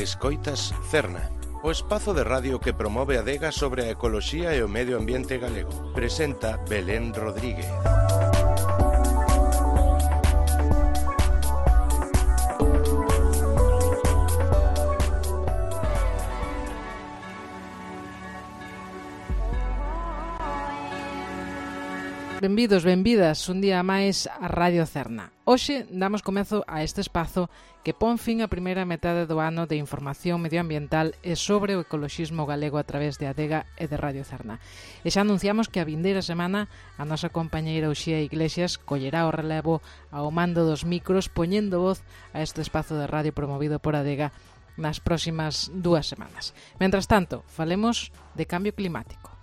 Escoitas Cerna, o espazo de radio que promove a adega sobre a ecoloxía e o medio ambiente galego. Presenta Belén Rodríguez. Benvidos, benvidas, un día máis a Radio Cerna. Hoxe damos comezo a este espazo que pon fin a primeira metade do ano de información medioambiental e sobre o ecoloxismo galego a través de Adega e de Radio Cerna. E xa anunciamos que a vindeira semana a nosa compañeira Uxía Iglesias collerá o relevo ao mando dos micros poñendo voz a este espazo de radio promovido por Adega nas próximas 2 semanas. Mentras tanto, falemos de cambio climático.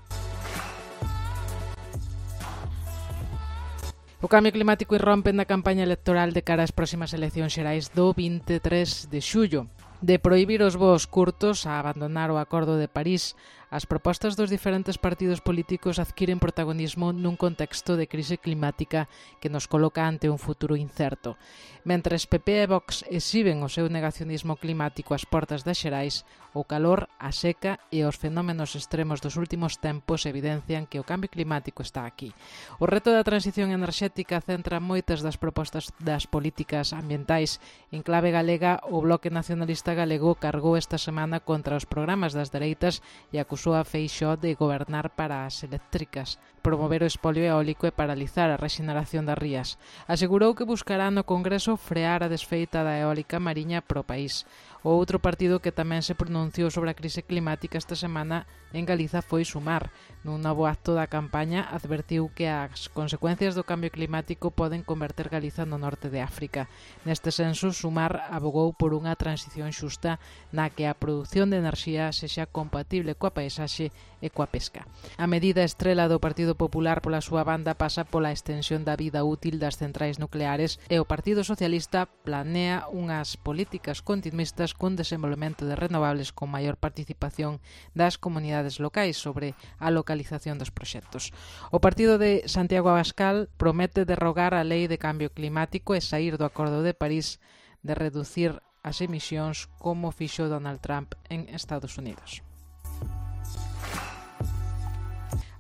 O cambio climático irrompe na campaña electoral de cara ás próximas eleccións xerais do 23 de xullo. De prohibir os voos curtos a abandonar o Acordo de París, as propostas dos diferentes partidos políticos adquiren protagonismo nun contexto de crise climática que nos coloca ante un futuro incerto. Mentres PP e Vox exhiben o seu negacionismo climático ás portas das xerais, o calor, a seca e os fenómenos extremos dos últimos tempos evidencian que o cambio climático está aquí. O reto da transición enerxética centra moitas das propostas das políticas ambientais. En clave galega, o Bloque Nacionalista Galego cargou esta semana contra os programas das dereitas e acusou a Feixóo de gobernar para as eléctricas, promover o espolio eólico e paralizar a rexeneración das rías. Asegurou que buscará no Congreso frear a desfeita da eólica mariña pro país. O outro partido que tamén se pronunciou sobre a crise climática esta semana en Galiza foi Sumar. Nun novo acto da campaña advertiu que as consecuencias do cambio climático poden converter Galiza no norte de África. Neste senso, Sumar abogou por unha transición xusta na que a produción de enerxía sexa compatible coa paisaxe e coa pesca. A medida estrela do Partido Popular pola súa banda pasa pola extensión da vida útil das centrais nucleares e o Partido Socialista planea unhas políticas continuistas cun desenvolvemento de renovables con maior participación das comunidades locais sobre a localización dos proxectos. O partido de Santiago Abascal promete derrogar a lei de cambio climático e saír do Acordo de París de reducir as emisións como fixo Donald Trump en Estados Unidos.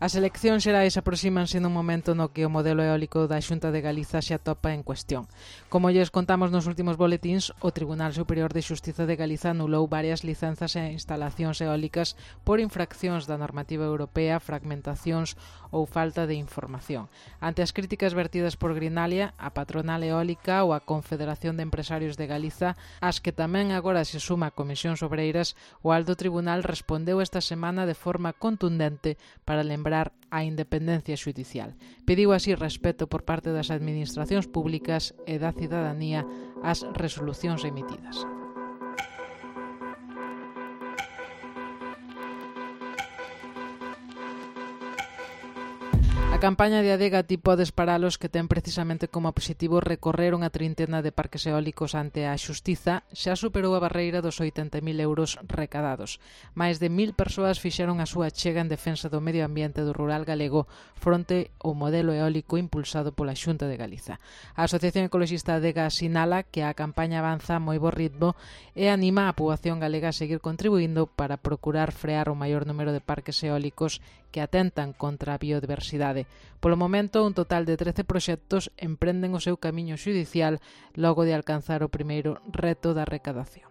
As eleccións xerais aproxímanse nun momento no que o modelo eólico da Xunta de Galiza se atopa en cuestión. Como lles contamos nos últimos boletíns, o Tribunal Superior de Xustiza de Galiza anulou varias licenzas e instalacións eólicas por infraccións da normativa europea, fragmentacións ou falta de información. Ante as críticas vertidas por Greenalia, a patronal eólica ou a Confederación de Empresarios de Galiza, as que tamén agora se suma a Comisións Obreiras, o Alto Tribunal respondeu esta semana de forma contundente para lembrar a independencia xudicial. Pediu así respeto por parte das administracións públicas e da cidadanía ás resolucións emitidas. A campaña de Adega Ti Podes Paralos, que ten precisamente como objetivo recorrer unha trintena de parques eólicos ante a xustiza, xa superou a barreira dos 80.000 euros recadados. Mais de 1.000 persoas fixeron a súa chega en defensa do medio ambiente do rural galego fronte ao modelo eólico impulsado pola Xunta de Galiza. A Asociación Ecoloxista Adega sinala que a campaña avanza a moi bo ritmo e anima a poboación galega a seguir contribuindo para procurar frear o maior número de parques eólicos que atentan contra a biodiversidade. Polo momento, un total de 13 proxectos emprenden o seu camiño xudicial logo de alcanzar o primeiro reto da recadación.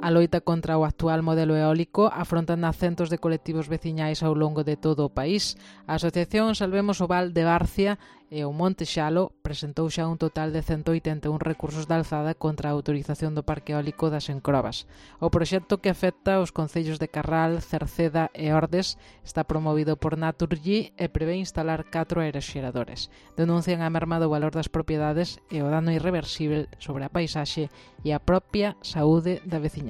A loita contra o actual modelo eólico afrontan a centos de colectivos veciñais ao longo de todo o país. A Asociación Salvemos o Val de Barcia e o Monte Xalo presentou xa un total de 181 recursos de alzada contra a autorización do parque eólico das Encrobas. O proxecto que afecta os concellos de Carral, Cerceda e Ordes está promovido por Naturgy e prevé instalar 4 aeroxeradores. Denuncian a merma do valor das propiedades e o dano irreversible sobre a paisaxe e a propia saúde da veciñanza.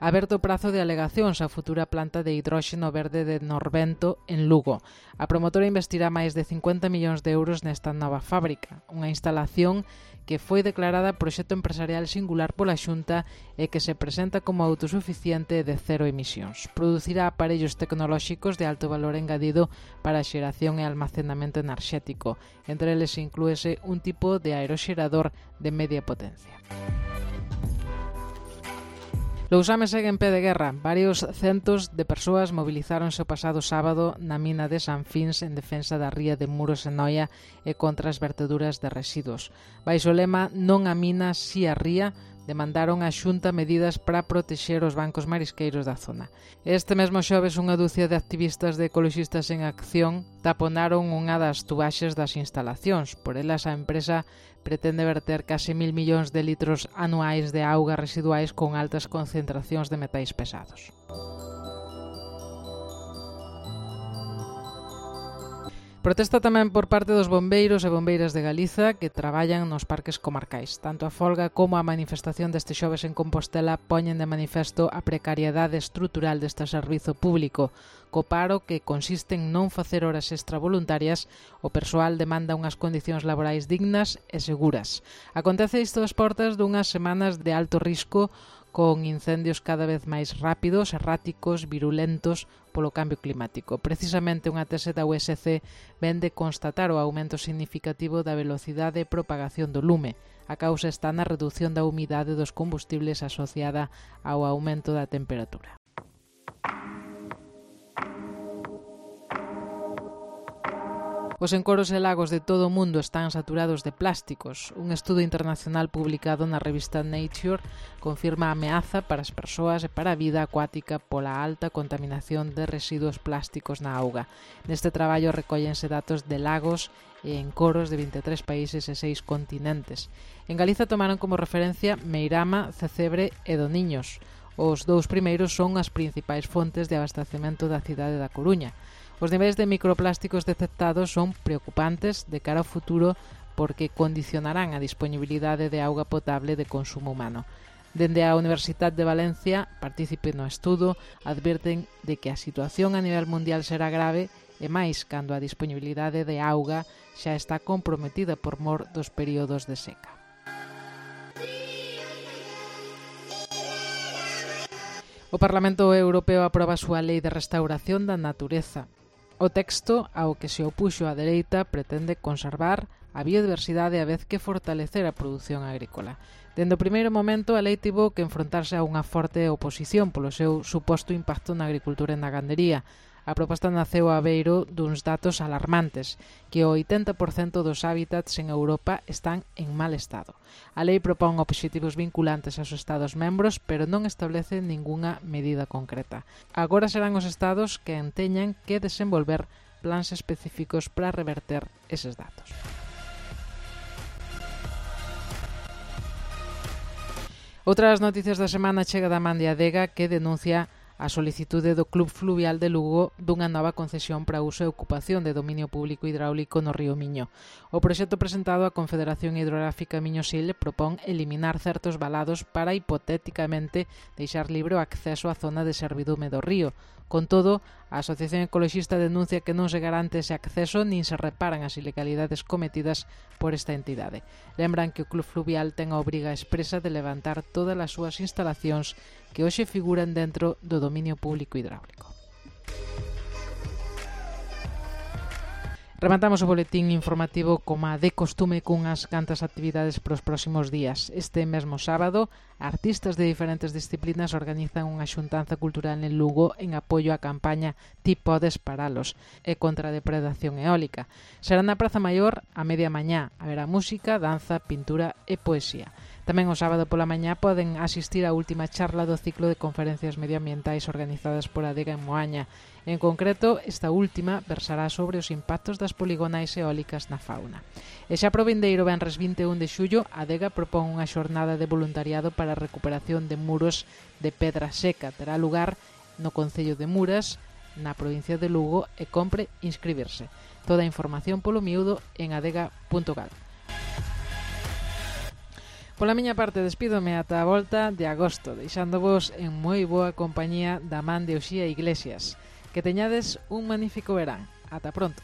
aberto o prazo de alegacións á futura planta de hidróxeno verde de Norvento en Lugo. A promotora investirá máis de 50 millóns de euros nesta nova fábrica, unha instalación que foi declarada proxecto empresarial singular pola Xunta e que se presenta como autosuficiente de cero emisións. Producirá aparellos tecnolóxicos de alto valor engadido para a xeración e almacenamento enerxético. Entre eles inclúese un tipo de aeroxerador de media potencia. Lousame segue en pé de guerra. Varios centos de persoas movilizáronse o pasado sábado na mina de San Fins en defensa da ría de Muros en Noia e contra as verteduras de residuos. Baixo o lema "Non a mina, si a ría", demandaron á Xunta medidas para protexer os bancos marisqueiros da zona. Este mesmo xoves unha dúcia de activistas de ecoloxistas en acción taponaron unha das tubaxes das instalacións. Por elas a empresa pretende verter case 1.000 millóns de litros anuais de auga residuais con altas concentracións de metais pesados. Protesta tamén por parte dos bombeiros e bombeiras de Galiza que traballan nos parques comarcais. Tanto a folga como a manifestación deste xoves en Compostela poñen de manifesto a precariedade estrutural deste servizo público. Co paro, que consiste en non facer horas extra voluntarias, o persoal demanda unhas condicións laborais dignas e seguras. Acontece isto ás portas dunhas semanas de alto risco con incendios cada vez máis rápidos, erráticos, virulentos polo cambio climático. Precisamente unha tese da USC vende constatar o aumento significativo da velocidade de propagación do lume. A causa está na redución da humidade dos combustibles asociada ao aumento da temperatura. Os encoros e lagos de todo o mundo están saturados de plásticos. Un estudo internacional publicado na revista Nature confirma a ameaza para as persoas e para a vida acuática pola alta contaminación de residuos plásticos na auga. Neste traballo recóllense datos de lagos e encoros de 23 países e 6 continentes. En Galiza tomaron como referencia Meirama, Cecebre e Doniños. Os dous primeiros son as principais fontes de abastecemento da cidade da Coruña. Os niveis de microplásticos detectados son preocupantes de cara ao futuro porque condicionarán a disponibilidade de auga potable de consumo humano. Dende a Universidade de Valencia, partícipe no estudo, advirten de que a situación a nivel mundial será grave e máis cando a disponibilidade de auga xa está comprometida por mor dos períodos de seca. O Parlamento Europeo aproba a súa Lei de Restauración da Natureza. O texto ao que se opuxo a dereita pretende conservar a biodiversidade a vez que fortalecer a produción agrícola. Dende o primeiro momento, a lei tivo que enfrontarse a unha forte oposición polo seu suposto impacto na agricultura e na gandería. A proposta naceu a beiro duns datos alarmantes, que o 80% dos hábitats en Europa están en mal estado. A lei propón obxectivos vinculantes aos Estados membros, pero non establece ningunha medida concreta. Agora serán os Estados que teñan que desenvolver plans específicos para reverter eses datos. Outras noticias da semana chega da man de Adega, que denuncia a solicitude do Club Fluvial de Lugo dunha nova concesión para uso e ocupación de dominio público hidráulico no río Miño. O proxecto presentado á Confederación Hidrográfica Miño-Sil propón eliminar certos valados para hipotéticamente deixar libre o acceso á zona de servidume do río. Con todo, a Asociación Ecoloxista denuncia que non se garante ese acceso nin se reparan as ilegalidades cometidas por esta entidade. Lembran que o Club Fluvial ten a obriga expresa de levantar todas as súas instalacións que hoxe figuran dentro do dominio público hidráulico. Rematamos o boletín informativo como de costume cunhas cantas actividades para os próximos días. Este mesmo sábado, artistas de diferentes disciplinas organizan unha xuntanza cultural en Lugo en apoio á campaña Ti podes paralos e contra a depredación eólica. Será na Praza Maior a media mañá. Haberá música, danza, pintura e poesía. Tamén o sábado pola mañá poden asistir á última charla do ciclo de conferencias medioambientais organizadas por Adega en Moaña. En concreto, esta última versará sobre os impactos das poligonais eólicas na fauna. E xa pro vindeiro venres 21 de xullo, Adega propón unha xornada de voluntariado para a recuperación de muros de pedra seca. Terá lugar no concello de Muras, na provincia de Lugo, e compre inscribirse. Toda a información polo miúdo en adega.gal. Pola miña parte despídome ata a volta de agosto, deixándovos en moi boa compañía da man de Uxía Iglesias. Que teñades un magnífico verán. Ata pronto.